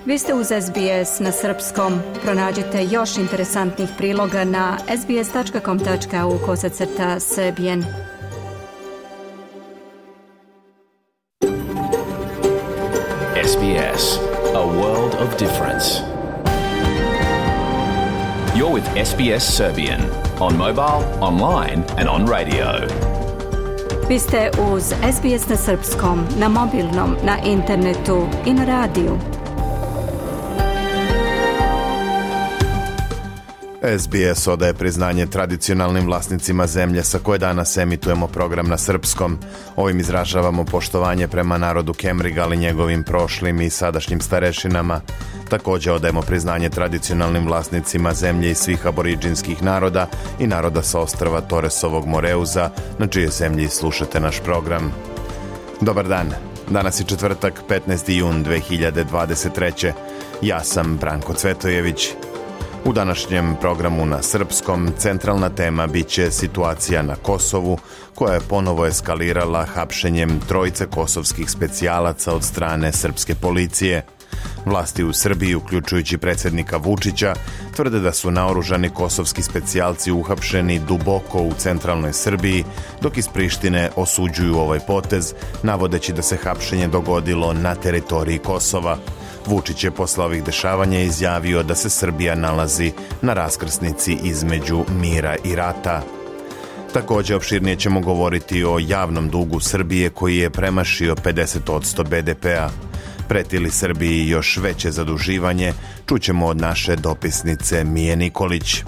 Vi ste uz SBS na srpskom. Pronađite još interesantnih priloga na sbs.com.au/serbian. SBS, a world of difference. You're with SBS Serbian on mobile, online and on radio. Vi ste uz SBS na srpskom, na mobilnom, na internetu i na radiju. SBS odaje priznanje tradicionalnim vlasnicima zemlje sa koje danas emitujemo program na srpskom. Ovim izražavamo poštovanje prema narodu Kemrigal i njegovim prošlim i sadašnjim starešinama. Također odajemo priznanje tradicionalnim vlasnicima zemlje i svih aboriđinskih naroda i naroda sa ostrva Torresovog Moreuza, na čije zemlji slušate naš program. Dobar dan. Danas je četvrtak, 15. jun 2023. Ja sam Branko Cvetojević. U današnjem programu na srpskom centralna tema bit će situacija na Kosovu, koja je ponovo eskalirala hapšenjem trojice kosovskih specijalaca od strane srpske policije. Vlasti u Srbiji, uključujući predsjednika Vučića, tvrde da su naoružani kosovski specijalci uhapšeni duboko u centralnoj Srbiji, dok iz Prištine osuđuju ovaj potez, navodeći da se hapšenje dogodilo na teritoriji Kosova. Vučić je posle ovih dešavanja izjavio da se Srbija nalazi na raskrsnici između mira i rata. Također opširnije ćemo govoriti o javnom dugu Srbije koji je premašio 50% BDP-a. Preti li Srbiji još veće zaduživanje, čućemo od naše dopisnice Mije Nikolić.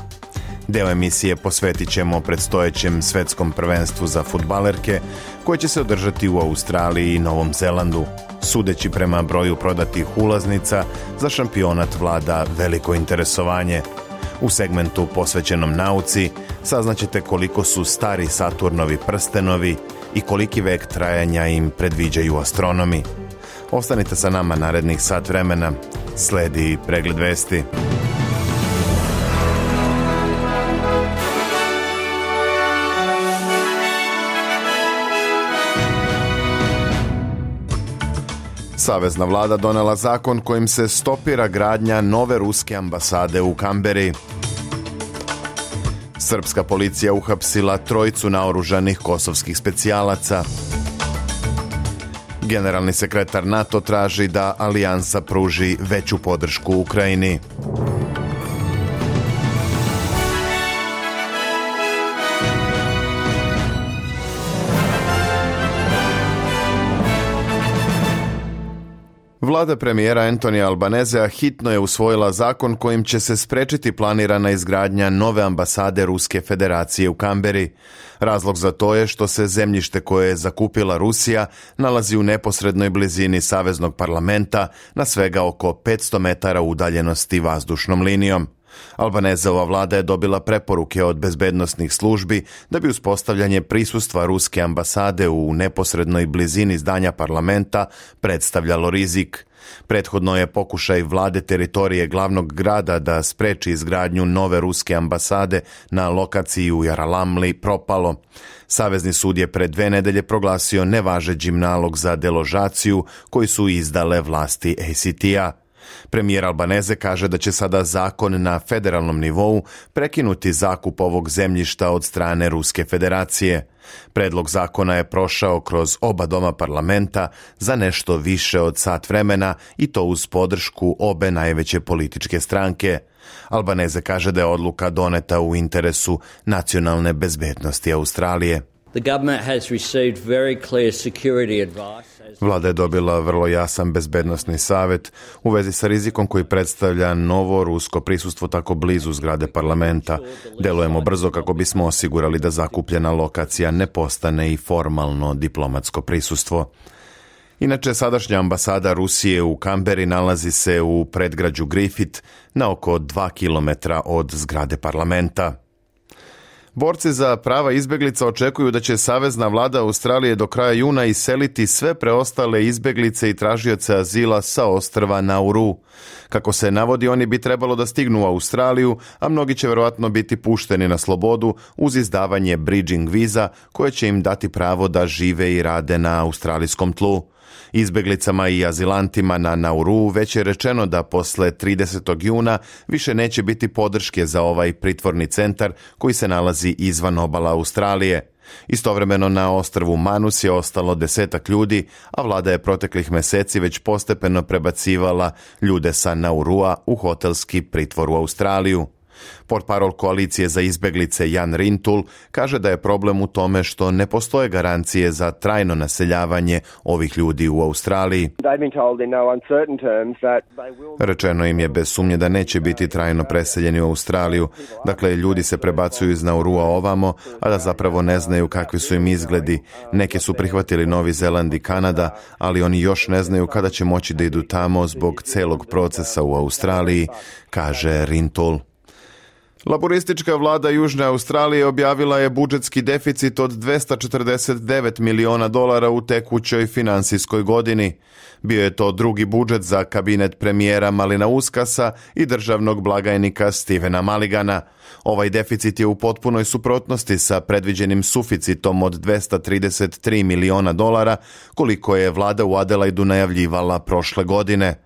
Deo emisije posvetit ćemo predstojećem svetskom prvenstvu za fudbalerke, koje će se održati u Australiji i Novom Zelandu. Sudeći prema broju prodatih ulaznica, za šampionat vlada veliko interesovanje. U segmentu posvećenom nauci saznaćete koliko su stari Saturnovi prstenovi i koliki vek trajanja im predviđaju astronomi. Ostanite sa nama narednih sat vremena. Sledi pregled vesti. Savezna vlada donela zakon kojim se stopira gradnja nove ruske ambasade u Kamberi. Srpska policija uhapsila trojicu naoružanih kosovskih specijalaca. Generalni sekretar NATO traži da alijansa pruži veću podršku Ukrajini. Vlada premijera Antonija Albanezea hitno je usvojila zakon kojim će se sprečiti planirana izgradnja nove ambasade Ruske federacije u Kamberi. Razlog za to je što se zemljište koje je zakupila Rusija nalazi u neposrednoj blizini Saveznog parlamenta na svega oko 500 metara udaljenosti vazdušnom linijom. Albanezeova vlada je dobila preporuke od bezbednosnih službi da bi uspostavljanje prisustva ruske ambasade u neposrednoj blizini zdanja parlamenta predstavljalo rizik. Prethodno je pokušaj vlade teritorije glavnog grada da spreči izgradnju nove ruske ambasade na lokaciji u Jaralamli propalo. Savezni sud je pred 2 nedelje proglasio nevažećim nalog za deložaciju koji su izdale vlasti ACT-a. Premijer Albaneze kaže da će sada zakon na federalnom nivou prekinuti zakup ovog zemljišta od strane Ruske federacije. Predlog zakona je prošao kroz oba doma parlamenta za nešto više od sat vremena i to uz podršku obe najveće političke stranke. Albaneze kaže da je odluka doneta u interesu nacionalne bezbednosti Australije. Vlada je dobila vrlo jasan bezbednosni savjet u vezi sa rizikom koji predstavlja novo rusko prisustvo tako blizu zgrade parlamenta. Delujemo brzo kako bismo osigurali da zakupljena lokacija ne postane i formalno diplomatsko prisustvo. Inače, sadašnja ambasada Rusije u Kamberi nalazi se u predgrađu Griffith na oko 2 kilometra od zgrade parlamenta. Borci za prava izbjeglica očekuju da će savezna vlada Australije do kraja juna iseliti sve preostale izbjeglice i tražioce azila sa ostrva Nauru. Kako se navodi, oni bi trebalo da stignu u Australiju, a mnogi će vjerojatno biti pušteni na slobodu uz izdavanje bridging viza koje će im dati pravo da žive i rade na australijskom tlu. Izbeglicama i azilantima na Nauru već je rečeno da posle 30. juna više neće biti podrške za ovaj pritvorni centar koji se nalazi izvan obala Australije. Istovremeno na ostrvu Manus je ostalo 10 ljudi, a vlada je proteklih meseci već postepeno prebacivala ljude sa Naurua u hotelski pritvor u Australiju. Portparol koalicije za izbeglice Jan Rintul kaže da je problem u tome što ne postoje garancije za trajno naseljavanje ovih ljudi u Australiji. Rečeno im je bez sumnje da neće biti trajno preseljeni u Australiju. Dakle, ljudi se prebacuju iz Naurua ovamo, a da zapravo ne znaju kakvi su im izgledi. Neki su prihvatili Novi Zeland i Kanada, ali oni još ne znaju kada će moći da idu tamo zbog celog procesa u Australiji, kaže Rintul. Laboristička vlada Južne Australije objavila je budžetski deficit od $249 miliona u tekućoj finansijskoj godini. Bio je to drugi budžet za kabinet premijera Malinauskasa i državnog blagajnika Stevena Mulligana. Ovaj deficit je u potpunoj suprotnosti sa predviđenim suficitom od $233 miliona, koliko je vlada u Adelaidu najavljivala prošle godine.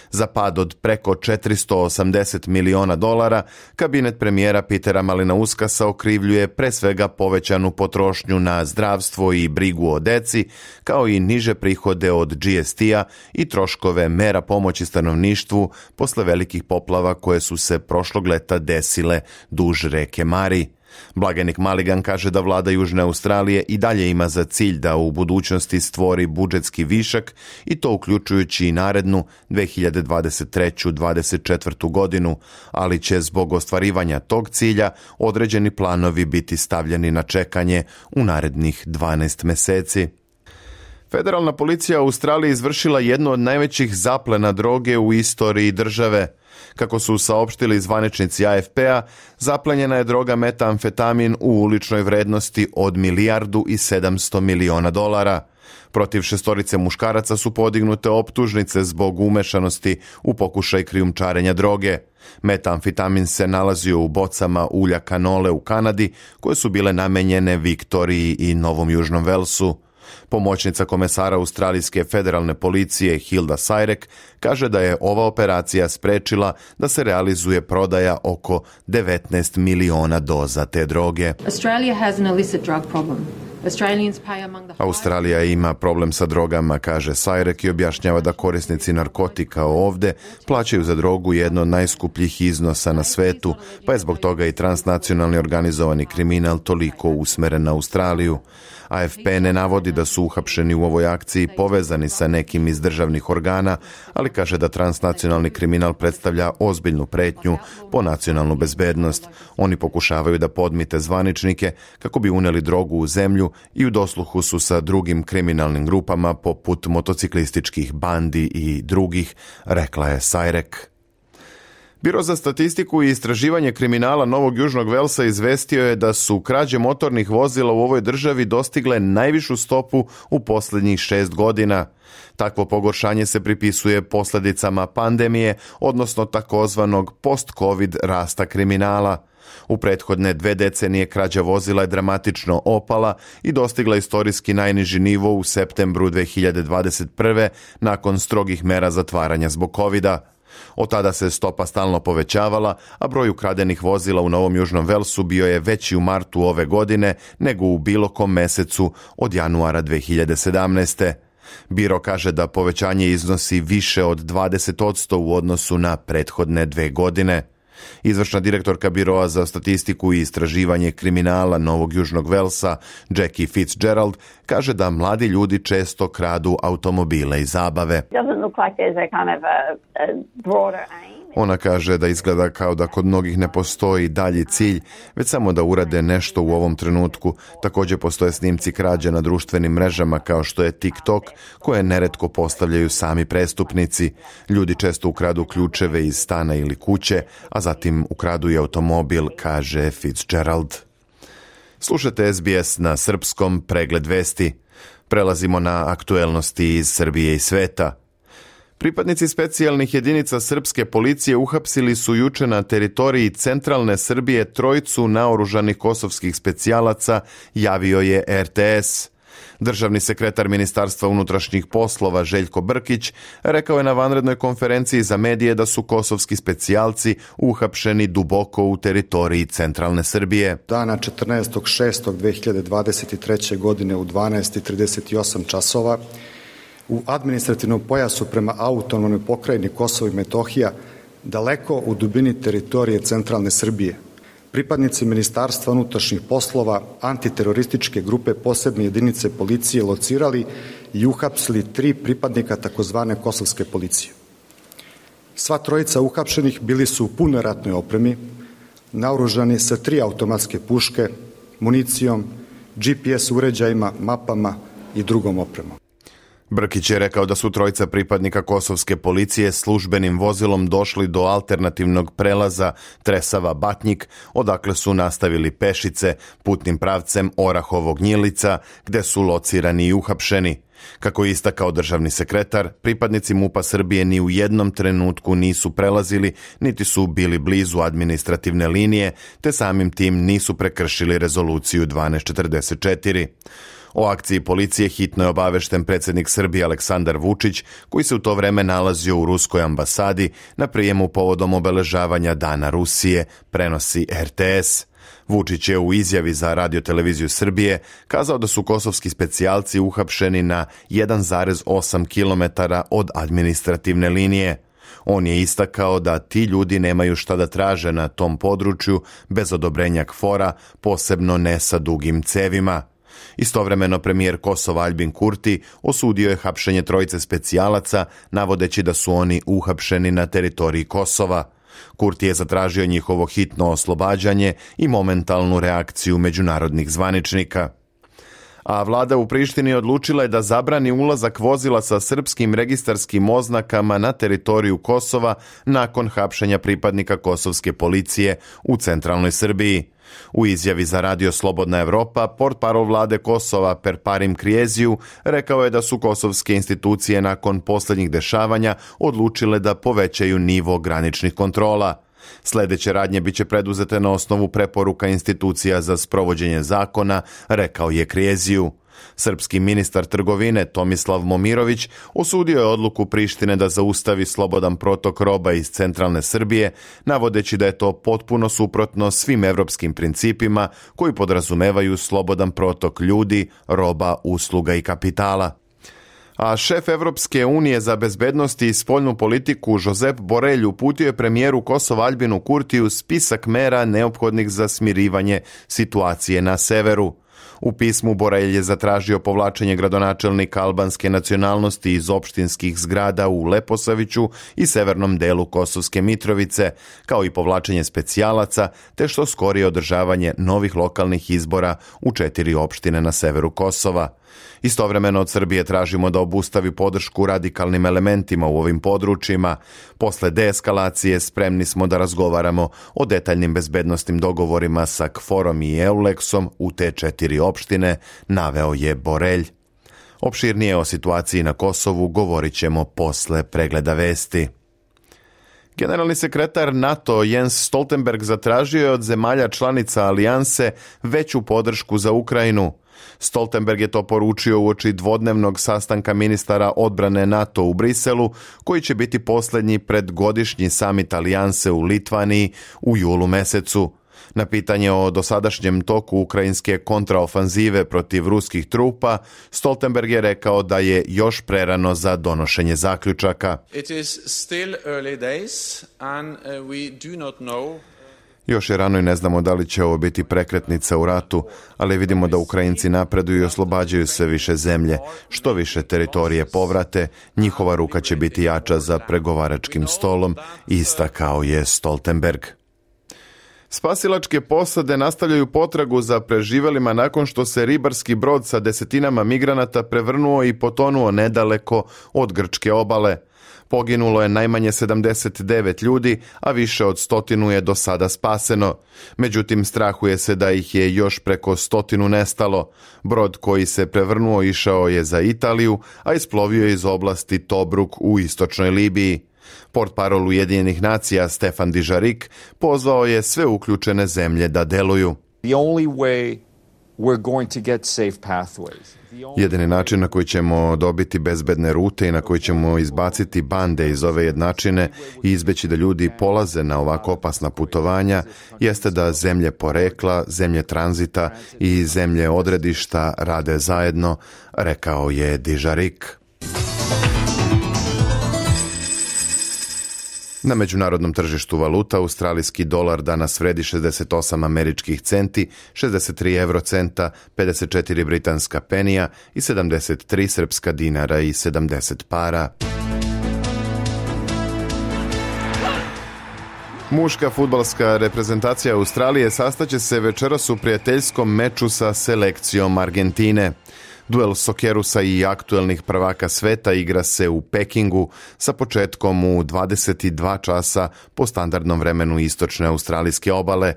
Za pad od preko $480 miliona kabinet premijera Petera Malinauskasa okrivljuje pre svega povećanu potrošnju na zdravstvo i brigu o deci, kao i niže prihode od GST-a i troškove mera pomoći stanovništvu posle velikih poplava koje su se prošlog leta desile duž reke Mari. Blagajnik Mulligan kaže da vlada Južne Australije i dalje ima za cilj da u budućnosti stvori budžetski višak i to uključujući i narednu 2023-2024 godinu, ali će zbog ostvarivanja tog cilja određeni planovi biti stavljeni na čekanje u narednih 12 meseci. Federalna policija u Australiji izvršila jednu od najvećih zaplena droge u istoriji države. Kako su saopštili zvaničnici AFP-a, zaplenjena je droga metamfetamin u uličnoj vrednosti od $1,7 miliona. Protiv 6 muškaraca su podignute optužnice zbog umešanosti u pokušaj krijumčarenja droge. Metamfetamin se nalazio u bocama ulja kanole u Kanadi, koje su bile namenjene Viktoriji i Novom Južnom Velsu. Pomoćnica komesara Australijske federalne policije Hilda Sajrek kaže da je ova operacija sprečila da se realizuje prodaja oko 19 miliona doza te droge. Australija ima problem sa drogama, kaže Sajrek i objašnjava da korisnici narkotika ovde plaćaju za drogu jedno od najskupljih iznosa na svetu, pa je zbog toga i transnacionalni organizovani kriminal toliko usmeren na Australiju. AFP ne navodi da su uhapšeni u ovoj akciji povezani sa nekim iz državnih organa, ali kaže da transnacionalni kriminal predstavlja ozbiljnu pretnju po nacionalnu bezbednost. Oni pokušavaju da podmite zvaničnike kako bi uneli drogu u zemlju i u dosluhu su sa drugim kriminalnim grupama poput motociklističkih bandi i drugih, rekla je Sajrek. Biro za statistiku i istraživanje kriminala Novog Južnog Velsa izvestio je da su krađe motornih vozila u ovoj državi dostigle najvišu stopu u posljednjih 6 godina. Takvo pogoršanje se pripisuje posljedicama pandemije, odnosno takozvanog post-covid rasta kriminala. U prethodne 2 decenije krađa vozila je dramatično opala i dostigla istorijski najniži nivo u septembru 2021. nakon strogih mera zatvaranja zbog covida. Od tada se stopa stalno povećavala, a broj ukradenih vozila u Novom Južnom Velsu bio je veći u martu ove godine nego u bilo kom mesecu od januara 2017. Biro kaže da povećanje iznosi više od 20% u odnosu na prethodne 2 godine. Izvršna direktorka Biroa za statistiku i istraživanje kriminala Novog Južnog Velsa, Jackie Fitzgerald, kaže da mladi ljudi često kradu automobile i zabave. Ona kaže da izgleda kao da kod mnogih ne postoji dalji cilj, već samo da urade nešto u ovom trenutku. Također postoje snimci krađa na društvenim mrežama kao što je TikTok, koje neretko postavljaju sami prestupnici. Ljudi često ukradu ključeve iz stana ili kuće, a zatim ukradu i automobil, kaže Fitzgerald. Slušate SBS na srpskom, pregled vesti. Prelazimo na aktuelnosti iz Srbije i sveta. Pripadnici specijalnih jedinica srpske policije uhapsili su juče na teritoriji centralne Srbije 3 naoružanih kosovskih specijalaca, javio je RTS. Državni sekretar Ministarstva unutrašnjih poslova Željko Brkić rekao je na vanrednoj konferenciji za medije da su kosovski specijalci uhapšeni duboko u teritoriji centralne Srbije. Dana 14.6.2023. godine u 12:38 časova u administrativnom pojasu prema autonomnoj pokrajini Kosovo i Metohija, daleko u dubini teritorije centralne Srbije, pripadnici Ministarstva unutrašnjih poslova antiterorističke grupe posebne jedinice policije locirali i uhapsili 3 pripadnika takozvane kosovske policije. Sva trojica uhapšenih bili su u punoj ratnoj opremi, naoružani sa 3 automatske puške, municijom, GPS uređajima, mapama i drugom opremom. Brkić je rekao da su trojica pripadnika kosovske policije službenim vozilom došli do alternativnog prelaza Tresava-Batnjik, odakle su nastavili pešice putnim pravcem Orahovo-Gnjilica, gde su locirani i uhapšeni. Kako je istakao državni sekretar, pripadnici MUP-a Srbije ni u jednom trenutku nisu prelazili, niti su bili blizu administrativne linije, te samim tim nisu prekršili rezoluciju 1244. O akciji policije hitno je obavešten predsjednik Srbije Aleksandar Vučić, koji se u to vreme nalazio u ruskoj ambasadi na prijemu povodom obeležavanja Dana Rusije, prenosi RTS. Vučić je u izjavi za Radio-televiziju Srbije kazao da su kosovski specijalci uhapšeni na 1,8 km od administrativne linije. On je istakao da ti ljudi nemaju šta da traže na tom području bez odobrenja KFOR-a, posebno ne sa dugim cevima. Istovremeno premijer Kosova Aljbin Kurti osudio je hapšenje trojice specijalaca, navodeći da su oni uhapšeni na teritoriji Kosova. Kurti je zatražio njihovo hitno oslobađanje i momentalnu reakciju međunarodnih zvaničnika. A vlada u Prištini odlučila je da zabrani ulazak vozila sa srpskim registarskim oznakama na teritoriju Kosova nakon hapšenja pripadnika kosovske policije u centralnoj Srbiji. U izjavi za Radio Slobodna Evropa, portparol vlade Kosova Perparim Krieziju rekao je da su kosovske institucije nakon posljednjih dešavanja odlučile da povećaju nivo graničnih kontrola. Sljedeće radnje biće preduzete na osnovu preporuka institucija za sprovođenje zakona, rekao je Krieziju. Srpski ministar trgovine Tomislav Momirović osudio je odluku Prištine da zaustavi slobodan protok roba iz centralne Srbije, navodeći da je to potpuno suprotno svim evropskim principima koji podrazumevaju slobodan protok ljudi, roba, usluga i kapitala. A šef Evropske unije za bezbednost i spoljnu politiku Josep Borrell uputio je premijeru Kosova Aljbinu Kurtiju spisak mera neophodnih za smirivanje situacije na severu. U pismu Borrell je zatražio povlačenje gradonačelnika albanske nacionalnosti iz opštinskih zgrada u Leposaviću i severnom delu Kosovske Mitrovice, kao i povlačenje specijalaca, te što skorije održavanje novih lokalnih izbora u 4 opštine na severu Kosova. Istovremeno od Srbije tražimo da obustavi podršku radikalnim elementima u ovim područjima. Posle deeskalacije spremni smo da razgovaramo o detaljnim bezbednosnim dogovorima sa KFOR-om i EULEX-om u te 4 opštine, naveo je Borrell. Opširnije o situaciji na Kosovu govorit ćemo posle pregleda vesti. Generalni sekretar NATO Jens Stoltenberg zatražio je od zemalja članica alijanse veću podršku za Ukrajinu. Stoltenberg je to poručio uoči dvodnevnog sastanka ministara odbrane NATO u Briselu, koji će biti posljednji pred godišnji samit alijanse u Litvaniji u julu mesecu. Na pitanje o dosadašnjem toku ukrajinske kontraofanzive protiv ruskih trupa, Stoltenberg je rekao da je još prerano za donošenje zaključaka. It is still early days and we do not know. Još je rano i ne znamo da li će ovo biti prekretnica u ratu, ali vidimo da Ukrajinci napreduju i oslobađaju sve više zemlje. Što više teritorije povrate, njihova ruka će biti jača za pregovaračkim stolom, istakao je Stoltenberg. Spasilačke posade nastavljaju potragu za preživelima nakon što se ribarski brod sa desetinama migranata prevrnuo i potonuo nedaleko od grčke obale. Poginulo je najmanje 79 ljudi, a više od 100 je do sada spaseno. Međutim, strahuje se da ih je još preko 100 nestalo. Brod koji se prevrnuo išao je za Italiju, a isplovio je iz oblasti Tobruk u istočnoj Libiji. Portparol Ujedinjenih nacija Stefan Dižarik pozvao je sve uključene zemlje da deluju. The only way we're going to get safe pathways. Jedini način na koji ćemo dobiti bezbedne rute i na koji ćemo izbaciti bande iz ove jednačine i izbeći da ljudi polaze na ovako opasna putovanja jeste da zemlje porekla, zemlje tranzita i zemlje odredišta rade zajedno, rekao je Dižarik. Na međunarodnom tržištu valuta australijski dolar danas vredi 68 američkih centi, 63 eurocenta, 54 britanska penija i 73 srpska dinara i 70 para. Muška fudbalska reprezentacija Australije sastaće se večeras u prijateljskom meču sa selekcijom Argentine. Duel Sokerusa i aktuelnih prvaka sveta igra se u Pekingu sa početkom u 22 časa po standardnom vremenu istočne australijske obale.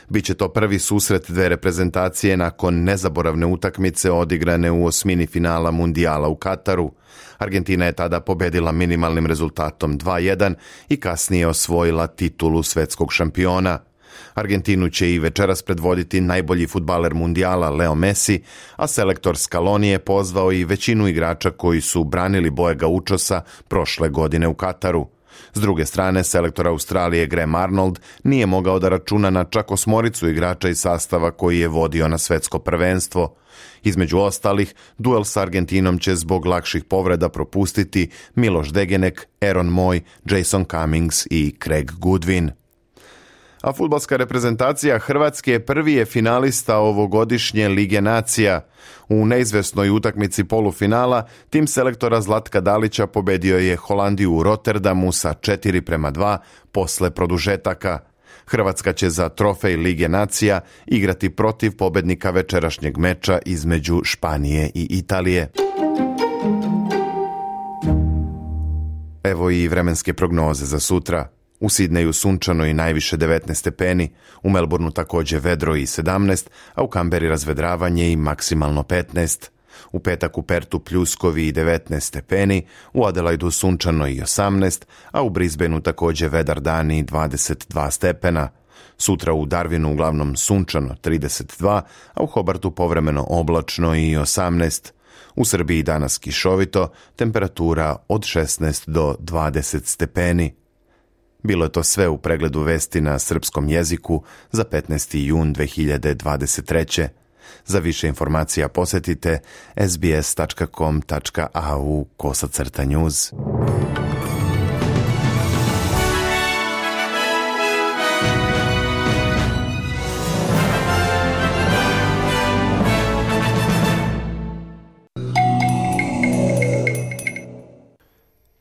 Biće to prvi susret dve reprezentacije nakon nezaboravne utakmice odigrane u osmini finala Mundijala u Kataru. Argentina je tada pobedila minimalnim rezultatom 2:1 i kasnije osvojila titulu svetskog šampiona. Argentinu će i večeras predvoditi najbolji fudbaler Mundijala Leo Messi, a selektor Scaloni je pozvao i većinu igrača koji su branili boje gaučosa prošle godine u Kataru. S druge strane, selektor Australije Graham Arnold nije mogao da računa na čak 8 igrača iz sastava koji je vodio na svetsko prvenstvo. Između ostalih, duel s Argentinom će zbog lakših povreda propustiti Miloš Degenek, Aaron Moy, Jason Cummings i Craig Goodwin. A fudbalska reprezentacija Hrvatske prvi je finalista ovogodišnje Lige nacija. U neizvesnoj utakmici polufinala tim selektora Zlatka Dalića pobedio je Holandiju u Rotterdamu sa 4:2 posle produžetaka. Hrvatska će za trofej Lige nacija igrati protiv pobednika večerašnjeg meča između Španije i Italije. Evo i vremenske prognoze za sutra. U Sidneju sunčano i najviše 19 stepeni, u Melbourneu također vedro i 17, a u Kamberi razvedravanje i maksimalno 15. U petak u Pertu pljuskovi i 19 stepeni, u Adelaidu sunčano i 18, a u Brisbaneu također vedar dan i 22 stepena. Sutra u Darwinu uglavnom sunčano 32, a u Hobartu povremeno oblačno i 18. U Srbiji danas kišovito, temperatura od 16 do 20 stepeni. Bilo je to sve u pregledu vesti na srpskom jeziku za 15. jun 2023. Za više informacija posjetite sbs.com.au/news.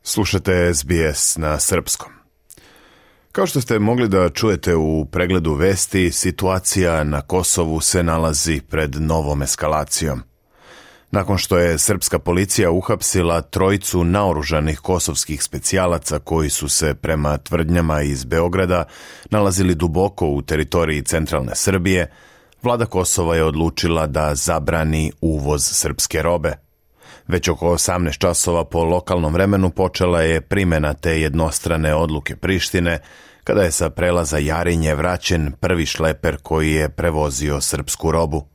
Slušate SBS na srpskom. Kao što ste mogli da čujete u pregledu vesti, situacija na Kosovu se nalazi pred novom eskalacijom. Nakon što je srpska policija uhapsila 3 naoružanih kosovskih specijalaca koji su se, prema tvrdnjama iz Beograda, nalazili duboko u teritoriji centralne Srbije, vlada Kosova je odlučila da zabrani uvoz srpske robe. Već oko 18 časova po lokalnom vremenu počela je primjena te jednostrane odluke Prištine, kada je sa prelaza Jarinje vraćen prvi šleper koji je prevozio srpsku robu.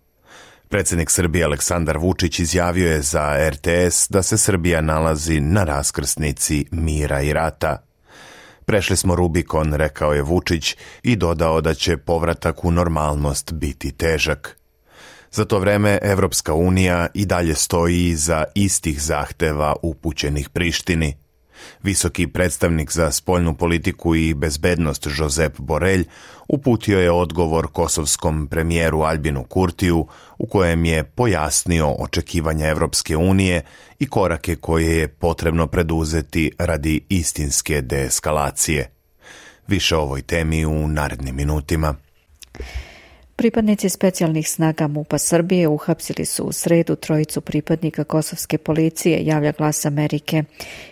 Predsjednik Srbije Aleksandar Vučić izjavio je za RTS da se Srbija nalazi na raskrsnici mira i rata. Prešli smo Rubikon, rekao je Vučić i dodao da će povratak u normalnost biti težak. Za to vreme Evropska unija i dalje stoji iza istih zahteva upućenih Prištini. Visoki predstavnik za spoljnu politiku i bezbednost Josep Borrell uputio je odgovor kosovskom premijeru Albinu Kurtiju u kojem je pojasnio očekivanja Evropske unije i korake koje je potrebno preduzeti radi istinske deeskalacije. Više o ovoj temi u narednim minutima. Pripadnici specijalnih snaga MUP-a Srbije uhapsili su u sredu 3 pripadnika kosovske policije, javlja Glas Amerike.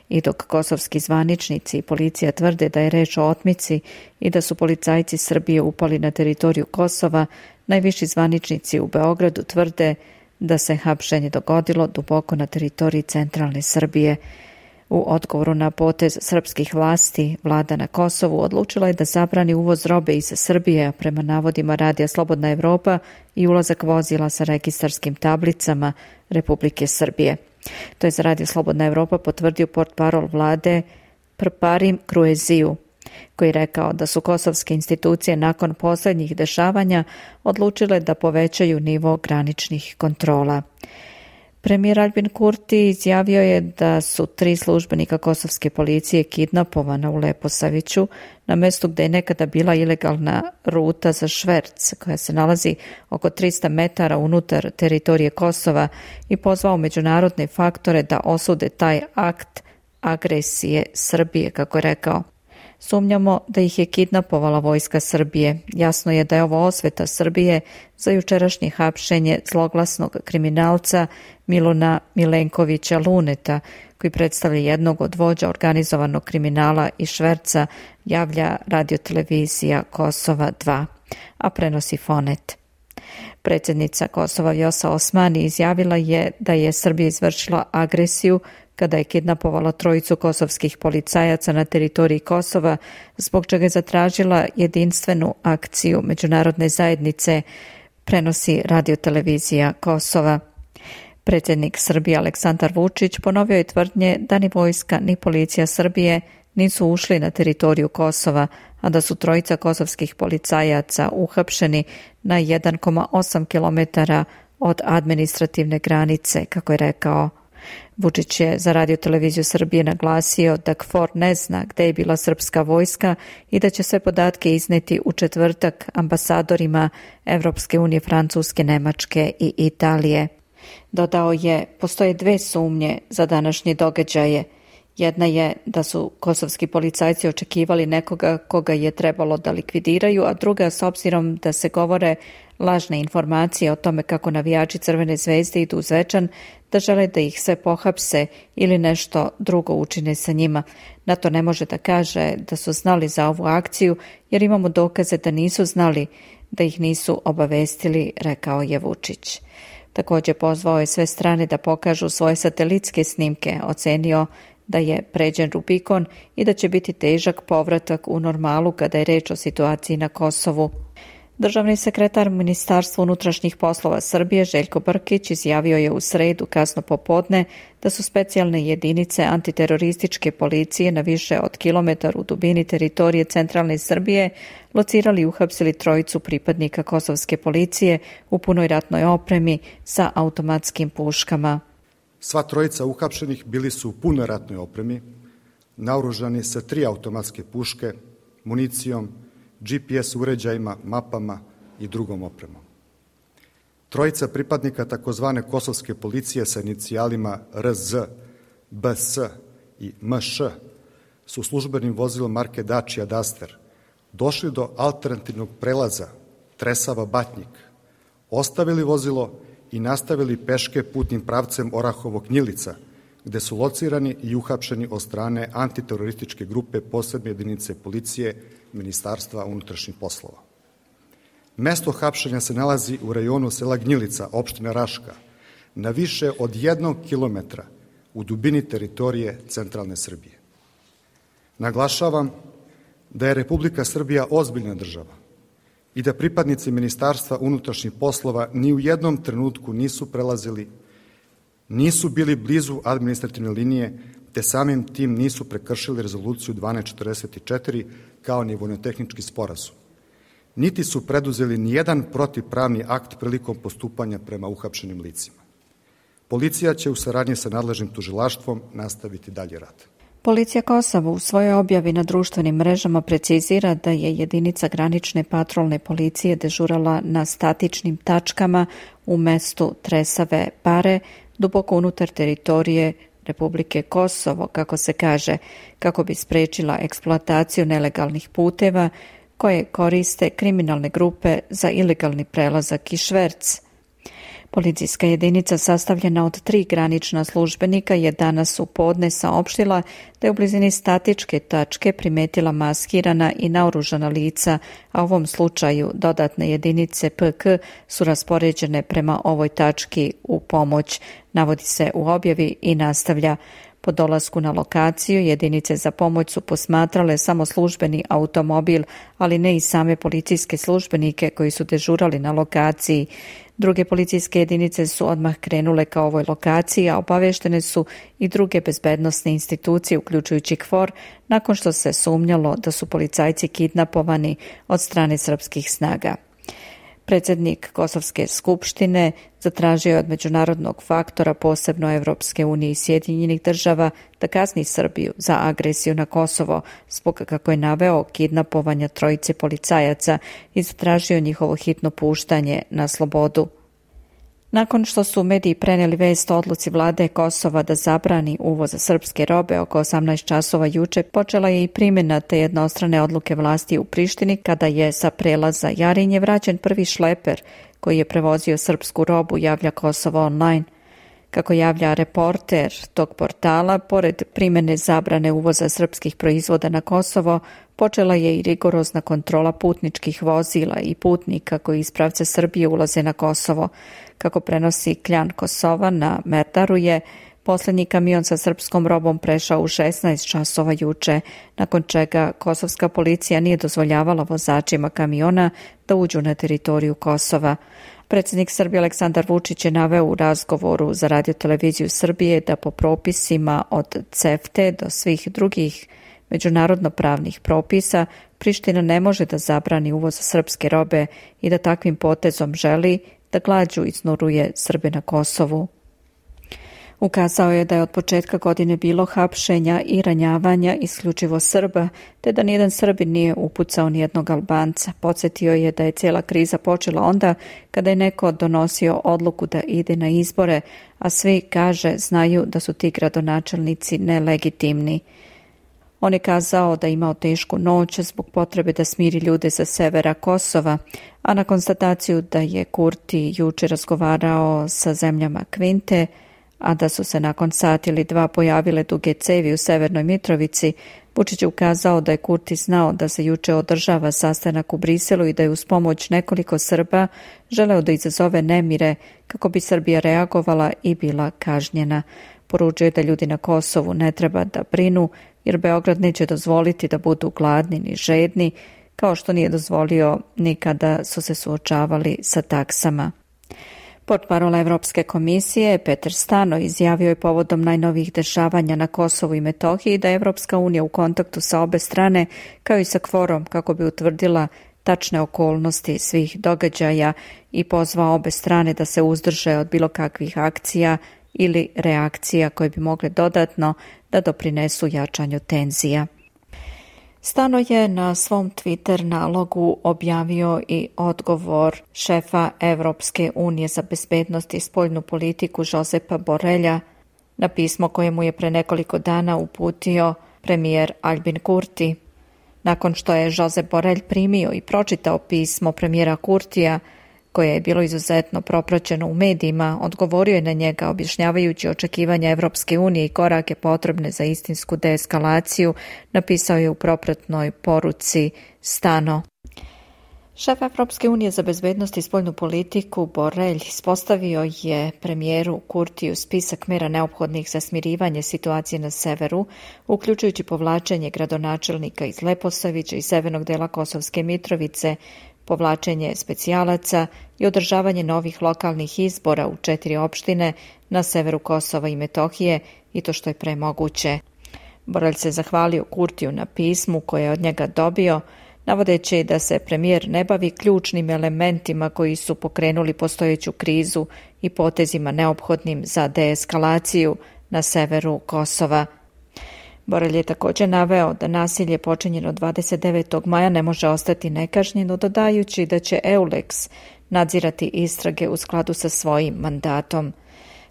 I dok kosovski zvaničnici i policija tvrde da je reč o otmici i da su policajci Srbije upali na teritoriju Kosova, najviši zvaničnici u Beogradu tvrde da se hapšenje dogodilo duboko na teritoriji centralne Srbije. U odgovoru na potez srpskih vlasti, vlada na Kosovu odlučila je da zabrani uvoz robe iz Srbije, a prema navodima Radija Slobodna Evropa i ulazak vozila sa registarskim tablicama Republike Srbije. To je za Radio Slobodna Evropa potvrdio portparol vlade Prparim Krueziju, koji je rekao da su kosovske institucije nakon posljednjih dešavanja odlučile da povećaju nivo graničnih kontrola. Premijer Albin Kurti izjavio je da su 3 službenika kosovske policije kidnapovana u Leposaviću, na mjestu gdje je nekada bila ilegalna ruta za šverc, koja se nalazi oko 300 metara unutar teritorije Kosova, i pozvao međunarodne faktore da osude taj akt agresije Srbije, kako je rekao. Sumnjamo da ih je kidnapovala vojska Srbije. Jasno je da je ovo osveta Srbije za jučerašnje hapšenje zloglasnog kriminalca Miluna Milenkovića Luneta, koji predstavlja jednog od vođa organizovanog kriminala i šverca, javlja radiotelevizija Kosova 2, a prenosi Fonet. Predsjednica Kosova Vjosa Osmani izjavila je da je Srbija izvršila agresiju kada je kidnapovala 3 kosovskih policajaca na teritoriji Kosova, zbog čega je zatražila jedinstvenu akciju međunarodne zajednice, prenosi radiotelevizija Kosova. Predsjednik Srbije Aleksandar Vučić ponovio je tvrdnje da ni vojska ni policija Srbije nisu ušli na teritoriju Kosova, a da su 3 kosovskih policajaca uhapšeni na 1,8 km od administrativne granice, kako je rekao. Vučić je za radioteleviziju Srbije naglasio da KFOR ne zna gdje je bila srpska vojska i da će sve podatke izneti u četvrtak ambasadorima Evropske unije, Francuske, Nemačke i Italije. Dodao je, postoje 2 sumnje za današnje događaje. Jedna je da su kosovski policajci očekivali nekoga koga je trebalo da likvidiraju, a druga, s obzirom da se govore lažne informacije o tome kako navijači Crvene zvezde idu u Zvečan, da žele da ih sve pohapse ili nešto drugo učine sa njima. NATO ne može da kaže da su znali za ovu akciju, jer imamo dokaze da nisu znali, da ih nisu obavestili, rekao je Vučić. Također pozvao je sve strane da pokažu svoje satelitske snimke, ocenio da je pređen Rubikon i da će biti težak povratak u normalu kada je reč o situaciji na Kosovu. Državni sekretar Ministarstva unutrašnjih poslova Srbije Željko Brkić izjavio je u sredu kasno popodne da su specijalne jedinice antiterorističke policije na više od kilometar u dubini teritorije centralne Srbije locirali i uhapsili 3 pripadnika kosovske policije u punoj ratnoj opremi sa automatskim puškama. Sva 3 uhapšenih bili su u punoj ratnoj opremi, naoružani sa 3 automatske puške, municijom, GPS uređajima, mapama i drugom opremom. 3 pripadnika takozvane kosovske policije sa inicijalima RZ, BS i MŠ su službenim vozilom marke Dacia Duster došli do alternativnog prelaza Tresava-Batnjik, ostavili vozilo i nastavili peške putnim pravcem Orahovo-Gnjilica, gde su locirani i uhapšeni od strane antiterorističke grupe posebne jedinice policije Ministarstva unutrašnjih poslova. Mesto hapšenja se nalazi u rajonu sela Gnjilica, opština Raška, na više od 1 kilometra u dubini teritorije centralne Srbije. Naglašavam da je Republika Srbija ozbiljna država i da pripadnici Ministarstva unutrašnjih poslova ni u jednom trenutku nisu prelazili, nisu bili blizu administrativne linije, te samim tim nisu prekršili rezoluciju 1244 kao ni vojnotehnički sporazum. Niti su preduzeli nijedan protivpravni akt prilikom postupanja prema uhapšenim licima. Policija će u saradnji sa nadležnim tužilaštvom nastaviti dalje rad. Policija Kosova u svojoj objavi na društvenim mrežama precizira da je jedinica granične patrolne policije dežurala na statičnim tačkama u mestu Tresave Pare, duboko unutar teritorije Republike Kosovo, kako se kaže, kako bi sprečila eksploataciju nelegalnih puteva koje koriste kriminalne grupe za ilegalni prelazak i šverc. Policijska jedinica sastavljena od 3 granična službenika je danas u podne saopštila da je u blizini statičke tačke primetila maskirana i naoružana lica, a u ovom slučaju dodatne jedinice PK su raspoređene prema ovoj tački u pomoć, navodi se u objavi i nastavlja. Po dolasku na lokaciju, jedinice za pomoć su posmatrale samo službeni automobil, ali ne i same policijske službenike koji su dežurali na lokaciji. Druge policijske jedinice su odmah krenule ka ovoj lokaciji, a obaveštene su i druge bezbednosne institucije, uključujući KFOR, nakon što se sumnjalo da su policajci kidnapovani od strane srpskih snaga. Predsjednik Kosovske skupštine zatražio je od međunarodnog faktora, posebno Evropske unije i Sjedinjenih država, da kazni Srbiju za agresiju na Kosovo, zbog kako je naveo kidnapovanja trojice policajaca i zatražio njihovo hitno puštanje na slobodu. Nakon što su mediji preneli vest o odluci vlade Kosova da zabrani uvoz srpske robe oko 18 časova juče, počela je i primjena te jednostrane odluke vlasti u Prištini kada je sa prelaza Jarinje vraćen prvi šleper koji je prevozio srpsku robu, javlja Kosovo online. Kako javlja reporter tog portala, pored primjene zabrane uvoza srpskih proizvoda na Kosovo, počela je i rigorozna kontrola putničkih vozila i putnika koji iz pravca Srbije ulaze na Kosovo. Kako prenosi Kljan Kosova, na Merdaru je posljednji kamion sa srpskom robom prešao u 16 časova juče, nakon čega kosovska policija nije dozvoljavala vozačima kamiona da uđu na teritoriju Kosova. Predsjednik Srbije Aleksandar Vučić je naveo u razgovoru za radioteleviziju Srbije da po propisima od CEFTE do svih drugih međunarodno pravnih propisa Priština ne može da zabrani uvoz srpske robe i da takvim potezom želi da glađu iznuruje Srbe na Kosovu. Ukazao je da je od početka godine bilo hapšenja i ranjavanja isključivo Srba, te da nijedan Srbin nije upucao nijednog Albanca. Podsjetio je da je cijela kriza počela onda kada je neko donosio odluku da ide na izbore, a svi, kaže, znaju da su ti gradonačelnici nelegitimni. On je kazao da je imao tešku noć zbog potrebe da smiri ljude sa severa Kosova, a na konstataciju da je Kurti juče razgovarao sa zemljama Kvinte, a da su se nakon sat ili dva pojavile duge cevi u Severnoj Mitrovici, Vučić je ukazao da je Kurti znao da se juče održava sastanak u Briselu i da je uz pomoć nekoliko Srba želeo da izazove nemire kako bi Srbija reagovala i bila kažnjena. Poručio je da ljudi na Kosovu ne treba da brinu, jer Beograd neće dozvoliti da budu gladni ni žedni, kao što nije dozvolio ni kada su se suočavali sa taksama. Portparol Evropske komisije Peter Stano izjavio je povodom najnovijih dešavanja na Kosovu i Metohiji da je Evropska unija u kontaktu sa obe strane, kao i sa KFOR-om, kako bi utvrdila tačne okolnosti svih događaja i pozvao obe strane da se uzdrže od bilo kakvih akcija ili reakcija koje bi mogle dodatno da doprinesu jačanju tenzija. Stano je na svom Twitter nalogu objavio i odgovor šefa Evropske unije za bezbednost i spoljnu politiku Josepa Borrella na pismo koje mu je pre nekoliko dana uputio premijer Albin Kurti. Nakon što je Josep Borrell primio i pročitao pismo premijera Kurtija, koje je bilo izuzetno propraćeno u medijima, odgovorio je na njega objašnjavajući očekivanja Evropske unije i korake potrebne za istinsku deeskalaciju, napisao je u propratnoj poruci Stano. Šef Evropske unije za bezbednost i spoljnu politiku Borrell ispostavio je premijeru Kurtiju spisak mera neophodnih za smirivanje situacije na severu, uključujući povlačenje gradonačelnika iz Leposavića i severnog dela Kosovske Mitrovice, povlačenje specijalaca i održavanje novih lokalnih izbora u 4 opštine na severu Kosova i Metohije, i to što je pre moguće. Borrell se zahvalio Kurtiju na pismu koje je od njega dobio, navodeći da se premijer ne bavi ključnim elementima koji su pokrenuli postojeću krizu i potezima neophodnim za deeskalaciju na severu Kosova. Borrell je također naveo da nasilje počinjeno 29. maja ne može ostati nekažnjeno, dodajući da će EULEX nadzirati istrage u skladu sa svojim mandatom.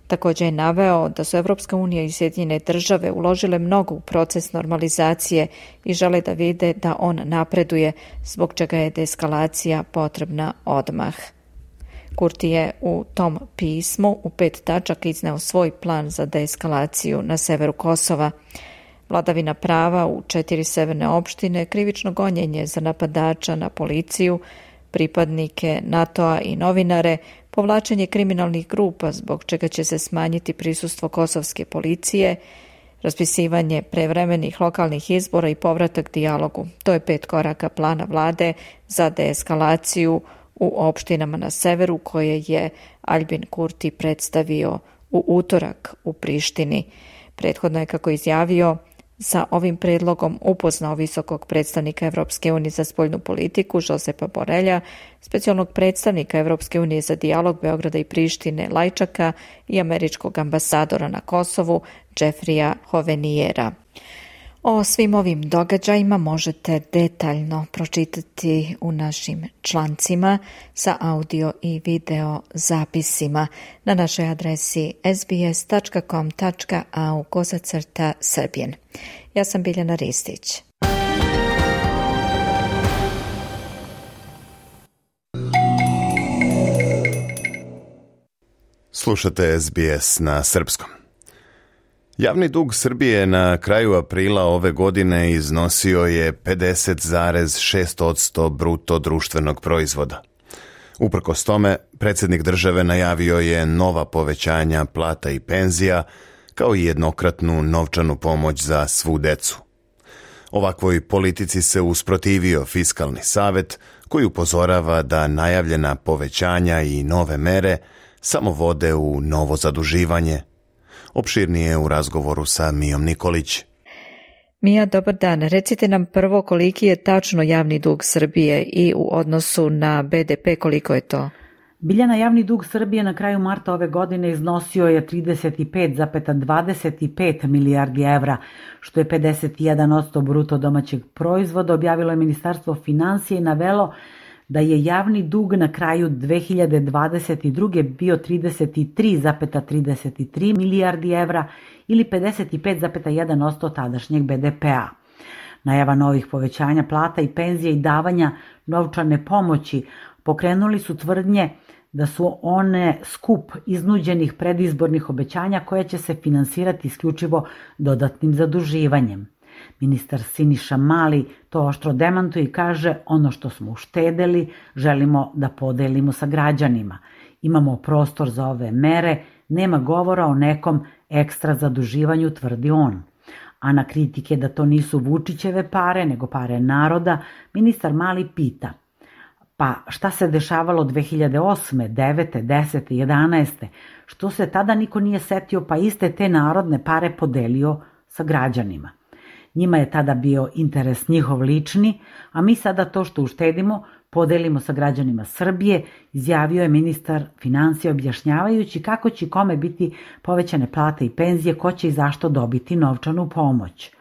Također je naveo da su Evropska unija i Sjedinjene države uložile mnogo u proces normalizacije i žele da vide da on napreduje, zbog čega je deeskalacija potrebna odmah. Kurti je u tom pismu u 5 tačaka izneo svoj plan za deeskalaciju na severu Kosova. Vladavina prava u 4 severne opštine, krivično gonjenje za napadača na policiju, pripadnike NATO-a i novinare, povlačenje kriminalnih grupa zbog čega će se smanjiti prisustvo kosovske policije, raspisivanje prevremenih lokalnih izbora i povratak dijalogu. To je 5 koraka plana vlade za deeskalaciju u opštinama na severu koje je Albin Kurti predstavio u utorak u Prištini. Prethodno je, kako izjavio, sa ovim predlogom upoznao visokog predstavnika Evropske unije za spoljnu politiku Josepa Borelja, specijalnog predstavnika Evropske unije za dijalog Beograda i Prištine Lajčaka i američkog ambasadora na Kosovu Jeffreya Hovenijera. O svim ovim događajima možete detaljno pročitati u našim člancima sa audio i video zapisima na našoj adresi sbs.com.au/Srbijen. Ja sam Biljana Ristić. Slušate SBS na srpskom. Javni dug Srbije na kraju aprila ove godine iznosio je 50,6% bruto društvenog proizvoda. Uprkos tome, predsjednik države najavio je nova povećanja plata i penzija, kao i jednokratnu novčanu pomoć za svu decu. Ovakvoj politici se usprotivio Fiskalni savet, koji upozorava da najavljena povećanja i nove mere samo vode u novo zaduživanje. Opširnije u razgovoru sa Mijom Nikolić. Mija, dobar dan. Recite nam prvo koliki je tačno javni dug Srbije i u odnosu na BDP koliko je to? Biljana, javni dug Srbije na kraju marta ove godine iznosio je 35,25 milijardi evra, što je 51% bruto domaćeg proizvoda, objavilo je Ministarstvo finansija i navelo da je javni dug na kraju 2022. bio 33,33 milijardi evra ili 55,1% tadašnjeg BDP-a. Najava novih povećanja plata i penzija i davanja novčane pomoći pokrenuli su tvrdnje da su one skup iznuđenih predizbornih obećanja koje će se finansirati isključivo dodatnim zaduživanjem. Ministar Siniša Mali to oštro demantuje i kaže: ono što smo uštedeli želimo da podelimo sa građanima. Imamo prostor za ove mere, nema govora o nekom ekstra zaduživanju, tvrdi on. A na kritike da to nisu Vučićeve pare, nego pare naroda, ministar Mali pita: pa šta se dešavalo 2008., 9., 10., 11. Što se tada niko nije setio pa iste te narodne pare podelio sa građanima? Njima je tada bio interes njihov lični, a mi sada to što uštedimo podelimo sa građanima Srbije, izjavio je ministar finansija objašnjavajući kako će kome biti povećane plate i penzije, ko će i zašto dobiti novčanu pomoć.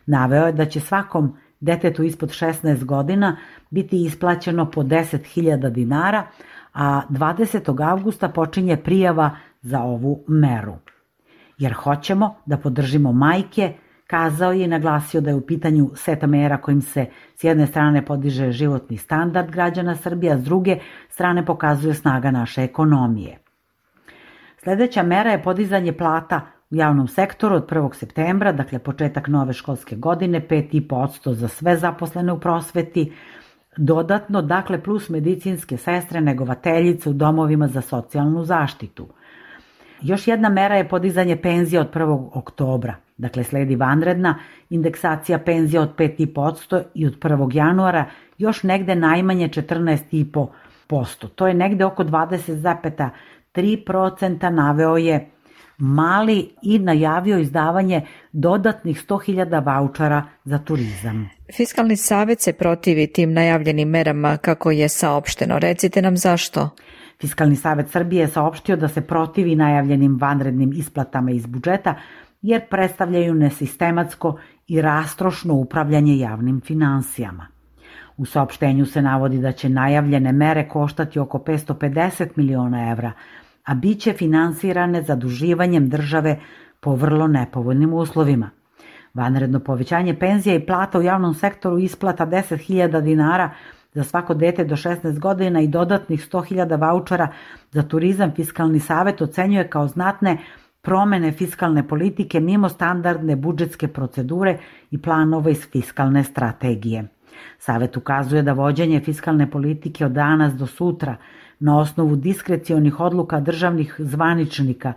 Naveo je da će svakom detetu ispod 16 godina biti isplaćeno po 10.000 dinara, a 20. avgusta počinje prijava za ovu meru. Jer hoćemo da podržimo majke, kazao je i naglasio da je u pitanju seta mera kojim se s jedne strane podiže životni standard građana Srbije, a s druge strane pokazuje snaga naše ekonomije. Sljedeća mera je podizanje plata u javnom sektoru od 1. septembra, dakle početak nove školske godine, 5,5% za sve zaposlene u prosveti, dodatno, dakle plus medicinske sestre, negovateljice u domovima za socijalnu zaštitu. Još jedna mera je podizanje penzija od 1. oktobra, dakle sledi vanredna indeksacija penzija od 5,5% i od 1. januara još negde najmanje 14,5%. To je negde oko 20,3%, naveo je Mali i najavio izdavanje dodatnih 100.000 vaučara za turizam. Fiskalni savet se protivi tim najavljenim merama kako je saopšteno. Recite nam zašto? Fiskalni savet Srbije je saopštio da se protivi najavljenim vanrednim isplatama iz budžeta jer predstavljaju nesistematsko i rastrošno upravljanje javnim finansijama. U saopštenju se navodi da će najavljene mere koštati oko 550 miliona evra, a bit će finansirane zaduživanjem države po vrlo nepovoljnim uslovima. Vanredno povećanje penzija i plata u javnom sektoru, isplata 10.000 dinara za svako dete do 16 godina i dodatnih 100.000 vaučara za turizam Fiskalni savet ocenjuje kao znatne promene fiskalne politike mimo standardne budžetske procedure i planova iz fiskalne strategije. Savet ukazuje da vođenje fiskalne politike od danas do sutra na osnovu diskrecionih odluka državnih zvaničnika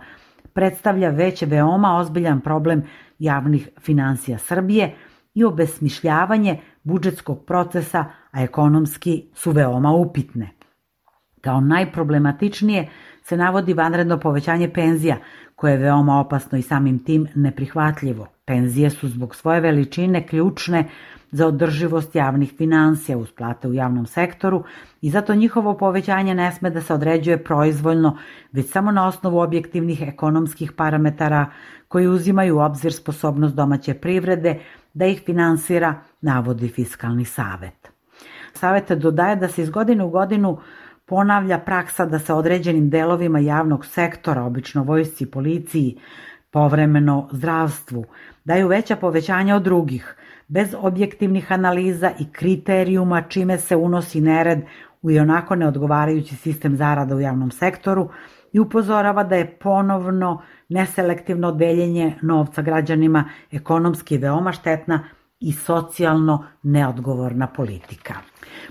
predstavlja već veoma ozbiljan problem javnih finansija Srbije i obesmišljavanje budžetskog procesa, a ekonomski su veoma upitne. Kao najproblematičnije se navodi vanredno povećanje penzija, koje je veoma opasno i samim tim neprihvatljivo. Penzije su zbog svoje veličine ključne za održivost javnih finansija uz plate u javnom sektoru i zato njihovo povećanje ne sme da se određuje proizvoljno, već samo na osnovu objektivnih ekonomskih parametara koji uzimaju u obzir sposobnost domaće privrede da ih finansira, navodi Fiskalni savet. Savet dodaje da se iz godine u godinu ponavlja praksa da se određenim delovima javnog sektora, obično vojsci, policiji, povremeno zdravstvu, daju veća povećanja od drugih, bez objektivnih analiza i kriterijuma, čime se unosi nered u ionako neodgovarajući sistem zarada u javnom sektoru i upozorava da je ponovno neselektivno deljenje novca građanima ekonomski veoma štetna i socijalno neodgovorna politika.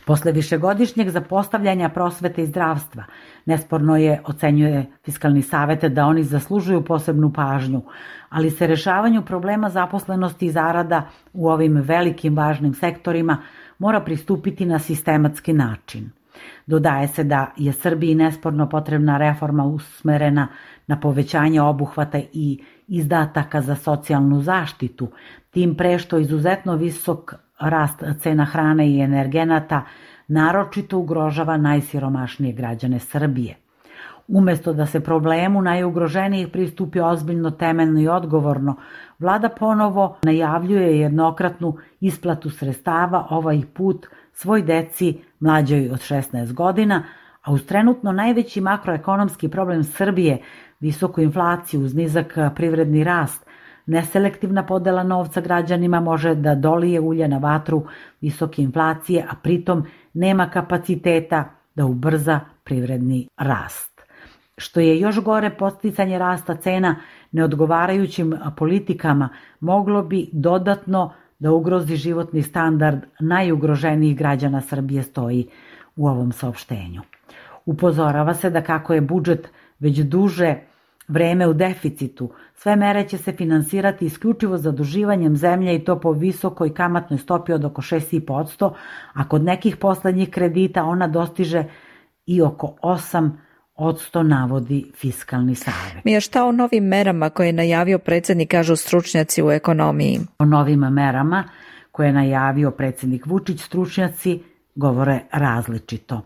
Posle višegodišnjeg zapostavljanja prosvete i zdravstva, nesporno je, ocenjuje Fiskalni savet, da oni zaslužuju posebnu pažnju, ali se rešavanju problema zaposlenosti i zarada u ovim velikim važnim sektorima mora pristupiti na sistematski način. Dodaje se da je Srbiji nesporno potrebna reforma usmerena na povećanje obuhvata i izdataka za socijalnu zaštitu, tim pre što izuzetno visok rast cena hrane i energenata naročito ugrožava najsiromašnije građane Srbije. Umesto da se problemu najugroženijih pristupi ozbiljno, temeljno i odgovorno, vlada ponovo najavljuje jednokratnu isplatu sredstava, ovaj put svoj deci mlađoj od 16 godina, a uz trenutno najveći makroekonomski problem Srbije, visoku inflaciju uz nizak privredni rast, neselektivna podela novca građanima može da dolije ulje na vatru visoke inflacije, a pritom nema kapaciteta da ubrza privredni rast. Što je još gore, podsticanje rasta cena neodgovarajućim politikama moglo bi dodatno da ugrozi životni standard najugroženijih građana Srbije, stoji u ovom saopštenju. Upozorava se da kako je budžet već duže vreme u deficitu, sve mere će se finansirati isključivo zaduživanjem zemlje i to po visokoj kamatnoj stopi od oko 6,5%, a kod nekih poslednjih kredita ona dostiže i oko 8%, navodi Fiskalni savet. Mija, šta o novim merama koje je najavio predsjednik, kažu stručnjaci u ekonomiji? O novim merama koje je najavio predsjednik Vučić, stručnjaci govore različito.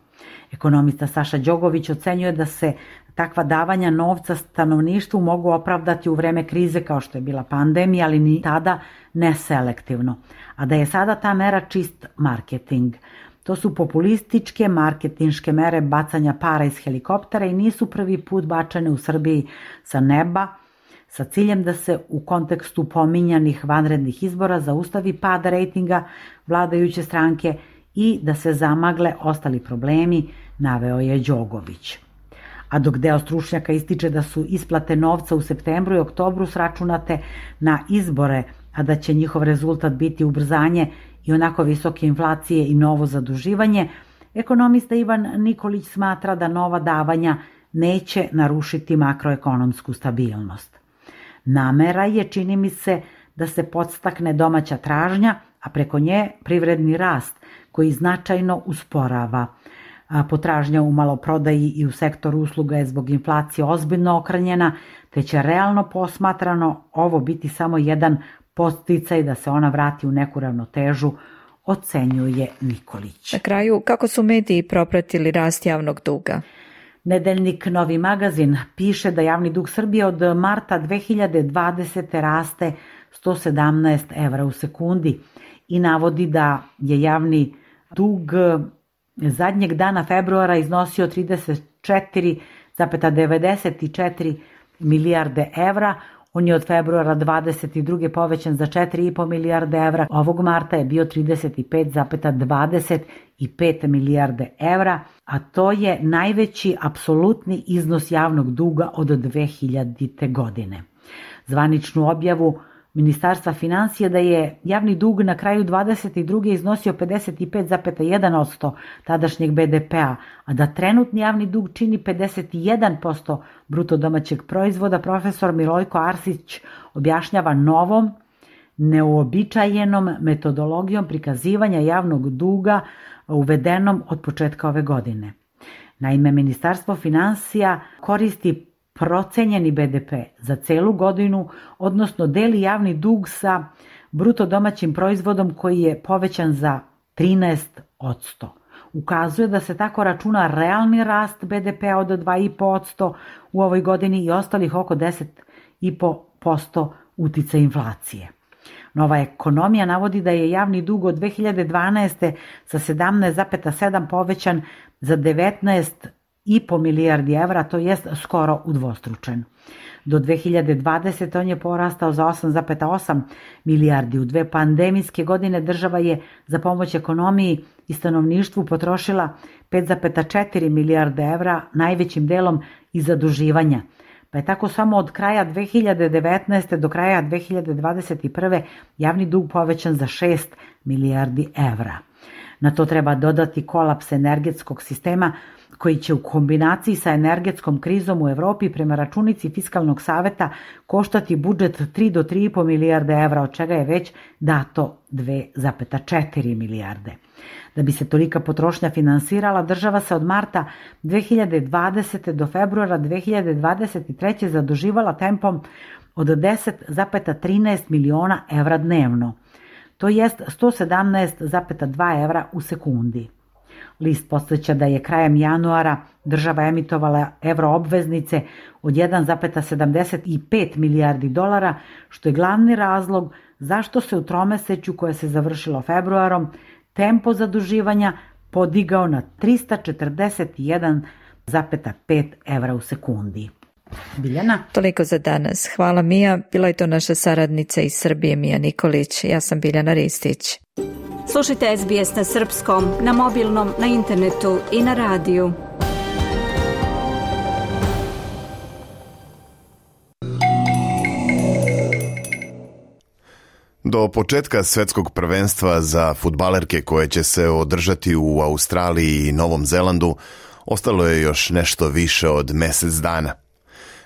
Ekonomista Saša Đogović ocenjuje da se takva davanja novca stanovništvu mogu opravdati u vreme krize kao što je bila pandemija, ali ni tada neselektivno, a da je sada ta mera čist marketing. To su populističke marketinške mere bacanja para iz helikoptera i nisu prvi put bačene u Srbiji sa neba sa ciljem da se u kontekstu pominjanih vanrednih izbora zaustavi pad rejtinga vladajuće stranke i da se zamagle ostali problemi, naveo je Đogović. A dok deo stručnjaka ističe da su isplate novca u septembru i oktobru sračunate na izbore, a da će njihov rezultat biti ubrzanje i onako visoke inflacije i novo zaduživanje, ekonomista Ivan Nikolić smatra da nova davanja neće narušiti makroekonomsku stabilnost. Namera je, čini mi se, da se podstakne domaća tražnja, a preko nje privredni rast koji značajno usporava. Potražnja u maloprodaji i u sektoru usluga je zbog inflacije ozbiljno okranjena, te će realno posmatrano ovo biti samo jedan podsticaj da se ona vrati u neku ravnotežu, ocenjuje Nikolić. Na kraju, kako su mediji propratili rast javnog duga? Nedeljnik Novi magazin piše da javni dug Srbije od marta 2020. raste 117 evra u sekundi i navodi da je javni dug zadnjeg dana februara iznosio 34,94 milijarde evra. On je od februara 22. povećan za 4,5 milijarde evra. Ovog marta je bio 35,25 milijarde evra, a to je najveći apsolutni iznos javnog duga od 2000. godine. Zvaničnu objavu Ministarstva financija da je javni dug na kraju 2022. iznosio 55,1% tadašnjeg BDP-a, a da trenutni javni dug čini 51% bruto domaćeg proizvoda, profesor Milojko Arsić objašnjava novom, neuobičajenom metodologijom prikazivanja javnog duga uvedenom od početka ove godine. Naime, Ministarstvo financija koristi procenjeni BDP za celu godinu, odnosno deli javni dug sa bruto domaćim proizvodom koji je povećan za 13%. Ukazuje da se tako računa realni rast BDP-a od 2,5% u ovoj godini i ostalih oko 10,5% uticaj inflacije. Nova ekonomija navodi da je javni dug od 2012. sa 17,7 povećan za 19,5 milijardi evra, to jest skoro udvostručen. Do 2020. on je porastao za 8,8 milijardi. U 2 pandemijske godine država je za pomoć ekonomiji i stanovništvu potrošila 5,4 milijarde evra, najvećim delom iz zaduživanja. Pa je tako samo od kraja 2019. do kraja 2021. javni dug povećan za 6 milijardi evra. Na to treba dodati kolaps energetskog sistema koji će u kombinaciji sa energetskom krizom u Evropi prema računici Fiskalnog saveta koštati budžet 3 do 3,5 milijarde evra, od čega je već dato 2,4 milijarde. Da bi se tolika potrošnja finansirala, država se od marta 2020. do februara 2023. zaduživala tempom od 10,13 miliona evra dnevno. To jest 117,2 evra u sekundi. List podsjeća da je krajem januara država emitovala evroobveznice od 1,75 milijardi dolara, što je glavni razlog zašto se u tromesečju koje se završilo februarom tempo zaduživanja podigao na 341,5 evra u sekundi. Biljana? Toliko za danas. Hvala Mija. Bila je to naša saradnica iz Srbije Mija Nikolić. Ja sam Biljana Ristić. Slušajte SBS na srpskom, na mobilnom, na internetu i na radiju. Do početka svetskog prvenstva za fudbalerke koje će se održati u Australiji i Novom Zelandu ostalo je još nešto više od mesec dana.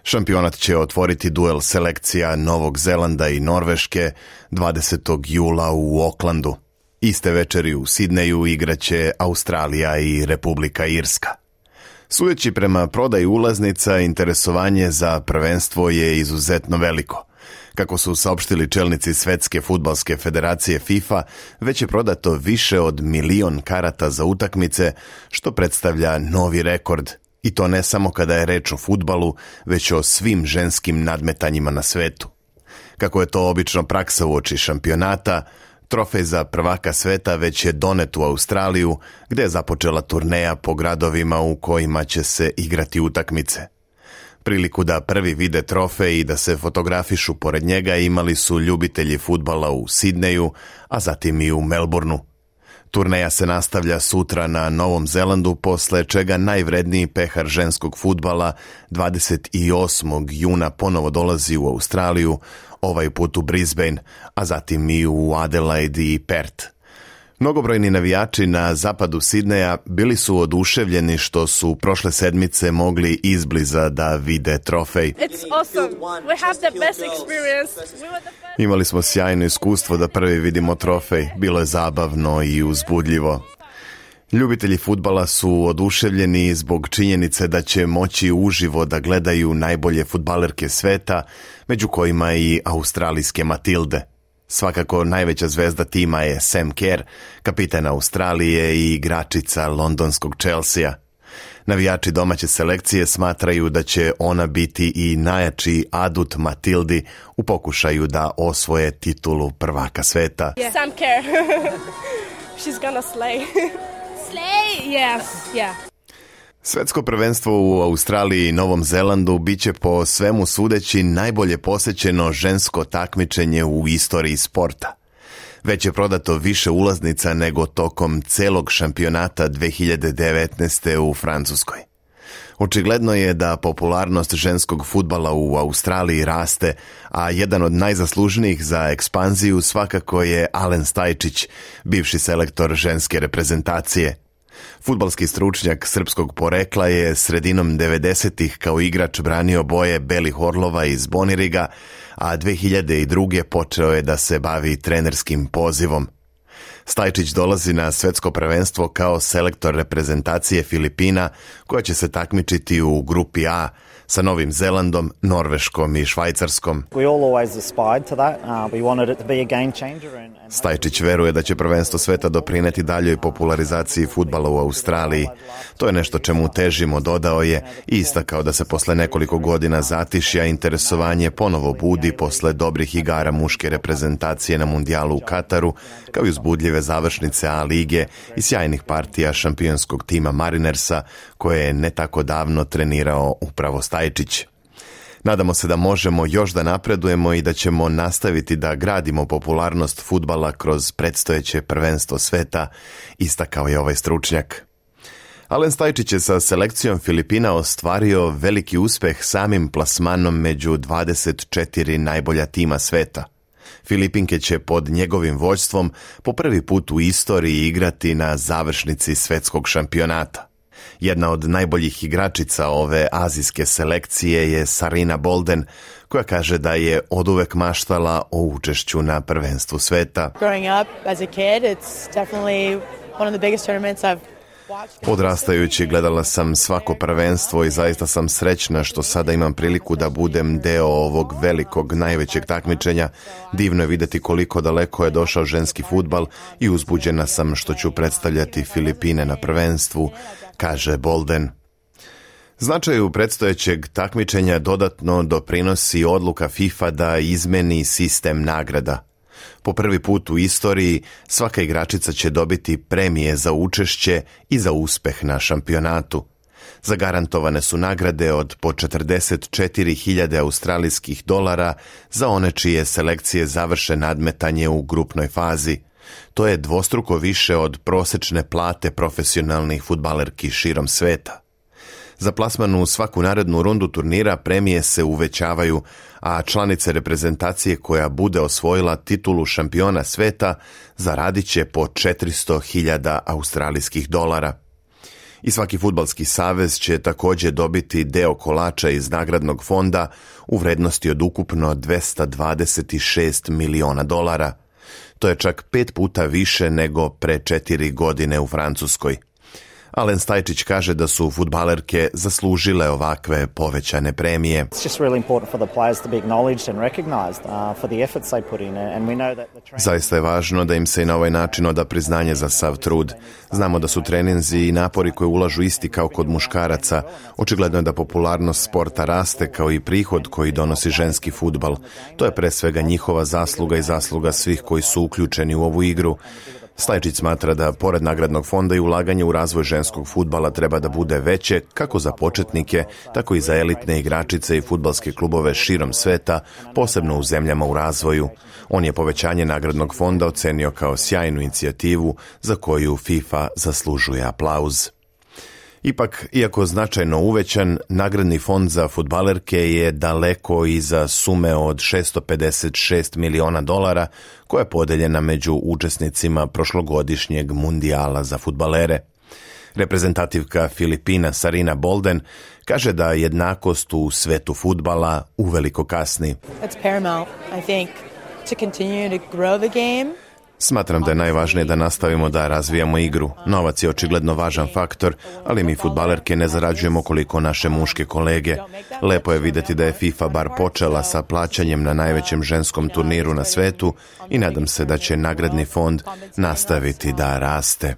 Šampionat će otvoriti duel selekcija Novog Zelanda i Norveške 20. jula u Aucklandu. Iste večeri u Sidneju igraće Australija i Republika Irska. Sudeći prema prodaji ulaznica, interesovanje za prvenstvo je izuzetno veliko. Kako su saopštili čelnici Svetske fudbalske federacije FIFA, već je prodato više od 1 milion karata za utakmice, što predstavlja novi rekord. I to ne samo kada je reč o fudbalu, već o svim ženskim nadmetanjima na svetu. Kako je to obično praksa uoči šampionata, trofej za prvaka sveta već je donet u Australiju, gde je započela turneja po gradovima u kojima će se igrati utakmice. Priliku da prvi vide trofej i da se fotografišu pored njega imali su ljubitelji fudbala u Sidneju, a zatim i u Melbourneu. Turneja se nastavlja sutra na Novom Zelandu, posle čega najvredniji pehar ženskog fudbala 28. juna ponovo dolazi u Australiju, ovaj put u Brisbane, a zatim i u Adelaide i Perth. Mnogobrojni navijači na zapadu Sidneja bili su oduševljeni što su prošle sedmice mogli izbliza da vide trofej. Imali smo sjajno iskustvo da prvi vidimo trofej, bilo je zabavno i uzbudljivo. Ljubitelji fudbala su oduševljeni zbog činjenice da će moći uživo da gledaju najbolje fudbalerke sveta, među kojima i australijske Matilde. Svakako najveća zvezda tima je Sam Kerr, kapitan Australije i igračica londonskog Chelsea. Navijači domaće selekcije smatraju da će ona biti i najjači adut Matildi u pokušaju da osvoje titulu prvaka sveta. Yeah. Sam Kerr. She's gonna slay. Slay? Yeah. Svetsko prvenstvo u Australiji i Novom Zelandu biće po svemu sudeći najbolje posećeno žensko takmičenje u istoriji sporta. Već je prodato više ulaznica nego tokom celog šampionata 2019. u Francuskoj. Očigledno je da popularnost ženskog fudbala u Australiji raste, a jedan od najzaslužnijih za ekspanziju svakako je Alen Stajčić, bivši selektor ženske reprezentacije. Fudbalski stručnjak srpskog porekla je sredinom 90-ih kao igrač branio boje Belih Orlova iz Boniriga, a 2002. počeo je da se bavi trenerskim pozivom. Stajčić dolazi na svetsko prvenstvo kao selektor reprezentacije Filipina, koja će se takmičiti u grupi A sa Novim Zelandom, Norveškom i Švajcarskom. Stajčić veruje da će prvenstvo sveta doprineti daljoj popularizaciji fudbala u Australiji. To je nešto čemu težimo, dodao je, i istakao da se posle nekoliko godina zatišja interesovanje ponovo budi posle dobrih igara muške reprezentacije na mundijalu u Kataru, kao i uzbudljive završnice A lige i sjajnih partija šampionskog tima Marinersa, koje je ne tako davno trenirao upravo Stajčić. Nadamo se da možemo još da napredujemo i da ćemo nastaviti da gradimo popularnost fudbala kroz predstojeće prvenstvo sveta, istakao je ovaj stručnjak. Alen Stajčić je sa selekcijom Filipina ostvario veliki uspeh samim plasmanom među 24 najbolja tima sveta. Filipinke će pod njegovim vođstvom po prvi put u istoriji igrati na završnici svetskog šampionata. Jedna od najboljih igračica ove azijske selekcije je Sarina Bolden, koja kaže da je oduvek maštala o učešću na prvenstvu sveta. Odrastajući gledala sam svako prvenstvo i zaista sam srećna što sada imam priliku da budem deo ovog velikog, najvećeg takmičenja. Divno je vidjeti koliko daleko je došao ženski fudbal i uzbuđena sam što ću predstavljati Filipine na prvenstvu, kaže Bolden. Značaju predstojećeg takmičenja dodatno doprinosi odluka FIFA da izmeni sistem nagrada. Po prvi put u istoriji svaka igračica će dobiti premije za učešće i za uspeh na šampionatu. Zagarantovane su nagrade od po 44.000 australijskih dolara za one čije selekcije završe nadmetanje u grupnoj fazi. To je dvostruko više od prosečne plate profesionalnih fudbalerki širom sveta. Za plasman u svaku narednu rundu turnira premije se uvećavaju, a članice reprezentacije koja bude osvojila titulu šampiona sveta zaradit će po 400.000 australijskih dolara. I svaki fudbalski savez će također dobiti deo kolača iz nagradnog fonda u vrednosti od ukupno 226 miliona dolara. To je čak 5 puta više nego pre 4 godine u Francuskoj. Alen Stajčić kaže da su fudbalerke zaslužile ovakve povećane premije. Zaista je važno da im se i na ovaj način oda priznanje za sav trud. Znamo da su treninzi i napori koje ulažu isti kao kod muškaraca. Očigledno je da popularnost sporta raste kao i prihod koji donosi ženski fudbal. To je pre svega njihova zasluga i zasluga svih koji su uključeni u ovu igru. Stajčić smatra da, pored nagradnog fonda, i ulaganje u razvoj ženskog fudbala treba da bude veće kako za početnike, tako i za elitne igračice i fudbalske klubove širom sveta, posebno u zemljama u razvoju. On je povećanje nagradnog fonda ocenio kao sjajnu inicijativu za koju FIFA zaslužuje aplauz. Ipak, iako značajno uvećan, nagradni fond za fudbalerke je daleko iza sume od 656 miliona dolara koja je podeljena među učesnicima prošlogodišnjeg mundijala za fudbalere. Reprezentativka Filipina Sarina Bolden kaže da jednakost u svetu fudbala uveliko kasni. It's paramount, I think, to continue to grow the game. Smatram da je najvažnije da nastavimo da razvijamo igru. Novac je očigledno važan faktor, ali mi fudbalerke ne zarađujemo koliko naše muške kolege. Lepo je vidjeti da je FIFA bar počela sa plaćanjem na najvećem ženskom turniru na svetu i nadam se da će nagradni fond nastaviti da raste.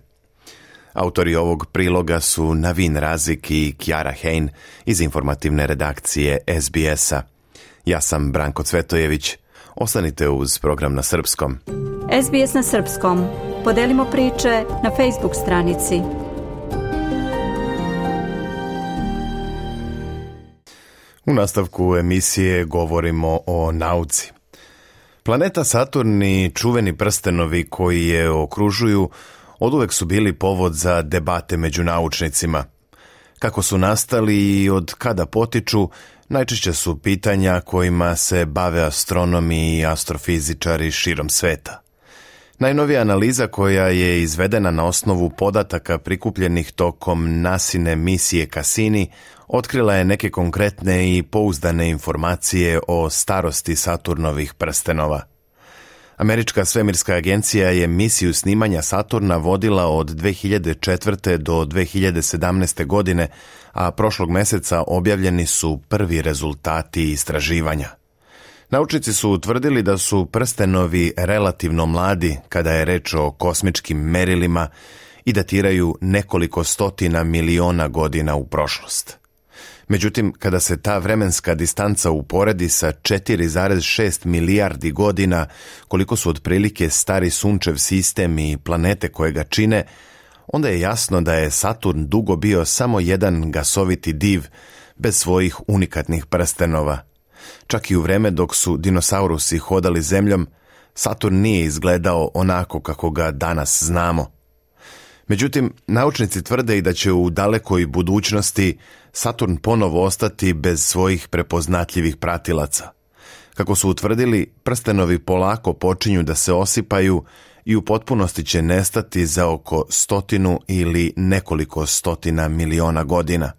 Autori ovog priloga su Navin Razik i Kjara Hein iz informativne redakcije SBS-a. Ja sam Branko Cvetojević. Ostanite uz program na srpskom. SBS na srpskom. Podelimo priče na Facebook stranici. U nastavku emisije govorimo o nauci. Planeta Saturn i čuveni prstenovi koji je okružuju oduvek su bili povod za debate među naučnicima. Kako su nastali i od kada potiču, najčešće su pitanja kojima se bave astronomi i astrofizičari širom sveta. Najnovija analiza koja je izvedena na osnovu podataka prikupljenih tokom NASIne misije Cassini otkrila je neke konkretne i pouzdane informacije o starosti Saturnovih prstenova. Američka svemirska agencija je misiju snimanja Saturna vodila od 2004. do 2017. godine, a prošlog meseca objavljeni su prvi rezultati istraživanja. Naučnici su utvrdili da su prstenovi relativno mladi kada je reč o kosmičkim merilima i datiraju nekoliko stotina miliona godina u prošlost. Međutim, kada se ta vremenska distanca uporedi sa 4,6 milijardi godina, koliko su otprilike stari sunčev sistem i planete koje ga čine, onda je jasno da je Saturn dugo bio samo jedan gasoviti div, bez svojih unikatnih prstenova. Čak i u vreme dok su dinosaurusi hodali zemljom, Saturn nije izgledao onako kako ga danas znamo. Međutim, naučnici tvrde i da će u dalekoj budućnosti Saturn ponovo ostati bez svojih prepoznatljivih pratilaca. Kako su utvrdili, prstenovi polako počinju da se osipaju i u potpunosti će nestati za oko 100 ili nekoliko stotina miliona godina.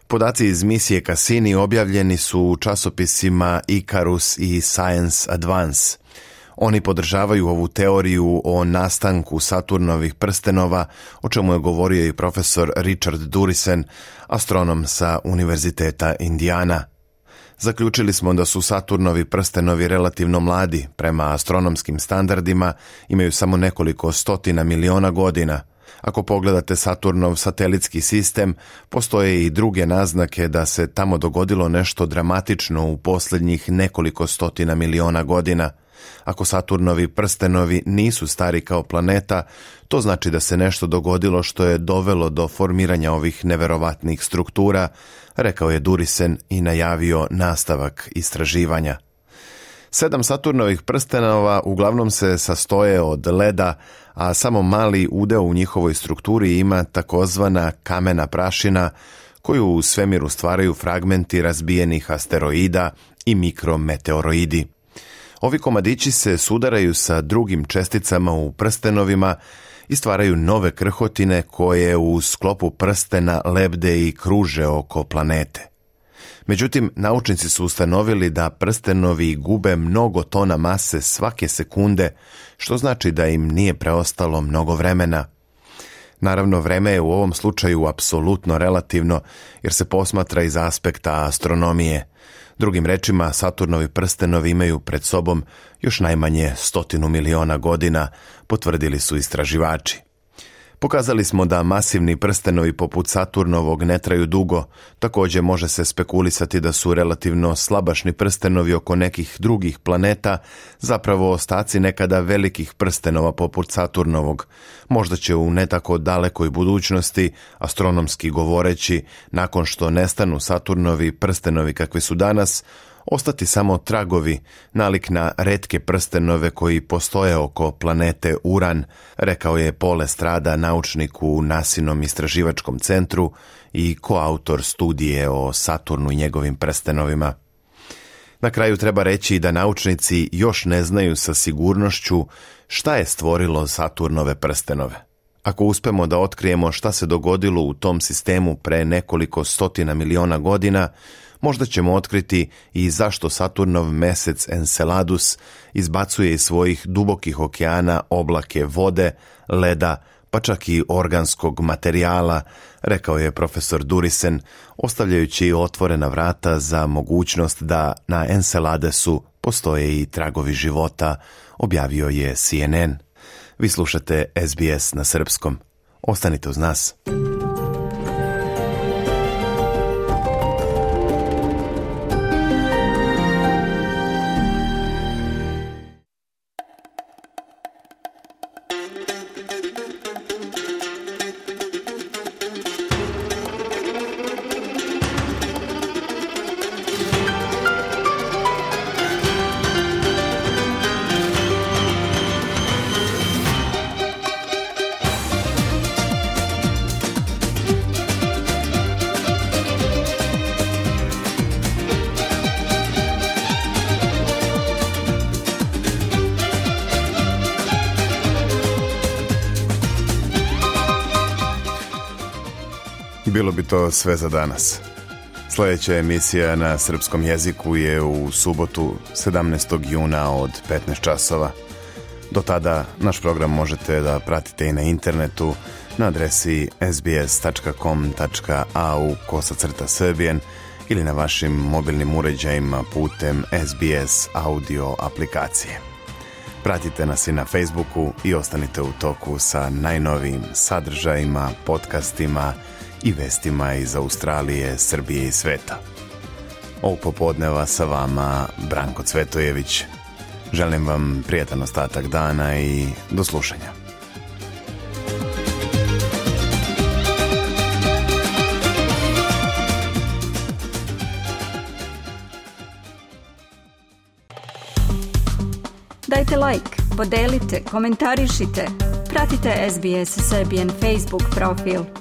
Podaci iz misije Cassini objavljeni su u časopisima Icarus i Science Advance. Oni podržavaju ovu teoriju o nastanku Saturnovih prstenova, o čemu je govorio i profesor Richard Durisen, astronom sa Univerziteta Indiana. Zaključili smo da su Saturnovi prstenovi relativno mladi, prema astronomskim standardima imaju samo nekoliko stotina miliona godina. Ako pogledate Saturnov satelitski sistem, postoje i druge naznake da se tamo dogodilo nešto dramatično u posljednjih nekoliko stotina miliona godina. Ako Saturnovi prstenovi nisu stari kao planeta, to znači da se nešto dogodilo što je dovelo do formiranja ovih neverovatnih struktura, rekao je Durisen i najavio nastavak istraživanja. 7 Saturnovih prstenova uglavnom se sastoje od leda, a samo mali udeo u njihovoj strukturi ima takozvana kamena prašina, koju u svemiru stvaraju fragmenti razbijenih asteroida i mikrometeoroidi. Ovi komadići se sudaraju sa drugim česticama u prstenovima i stvaraju nove krhotine koje u sklopu prstena lebde i kruže oko planete. Međutim, naučnici su ustanovili da prstenovi gube mnogo tona mase svake sekunde, što znači da im nije preostalo mnogo vremena. Naravno, vreme je u ovom slučaju apsolutno relativno, jer se posmatra iz aspekta astronomije. Drugim rečima, Saturnovi prstenovi imaju pred sobom još najmanje 100 miliona godina, potvrdili su istraživači. Pokazali smo da masivni prstenovi poput Saturnovog ne traju dugo, također može se spekulisati da su relativno slabašni prstenovi oko nekih drugih planeta zapravo ostaci nekada velikih prstenova poput Saturnovog. Možda će u ne tako dalekoj budućnosti, astronomski govoreći, nakon što nestanu Saturnovi prstenovi kakvi su danas, ostati samo tragovi, nalik na retke prstenove koji postoje oko planete Uran, rekao je Paul Estrada, naučnik u NASInom istraživačkom centru i koautor studije o Saturnu i njegovim prstenovima. Na kraju treba reći da naučnici još ne znaju sa sigurnošću šta je stvorilo Saturnove prstenove. Ako uspemo da otkrijemo šta se dogodilo u tom sistemu pre nekoliko stotina miliona godina, možda ćemo otkriti i zašto Saturnov mesec Enceladus izbacuje iz svojih dubokih okeana oblake vode, leda, pa čak i organskog materijala, rekao je profesor Durisen, ostavljajući otvorena vrata za mogućnost da na Enceladusu postoje i tragovi života, objavio je CNN. Vi slušate SBS na srpskom. Ostanite uz nas. I bilo bi to sve za danas. Sljedeća emisija na srpskom jeziku je u subotu 17. juna od 15 časova. Do tada naš program možete da pratite i na internetu na adresi sbs.com.au/Serbian ili na vašim mobilnim uređajima putem SBS audio aplikacije. Pratite nas i na Facebooku i ostanite u toku sa najnovijim sadržajima, podcastima i vestima iz Australije, Srbije i sveta. Ovog popodneva sa vama Branko Cvetojević. Želim vam prijatan ostatak dana i do slušanja. Dajte like, podelite, komentarišite. Pratite SBS Serbian Facebook profil.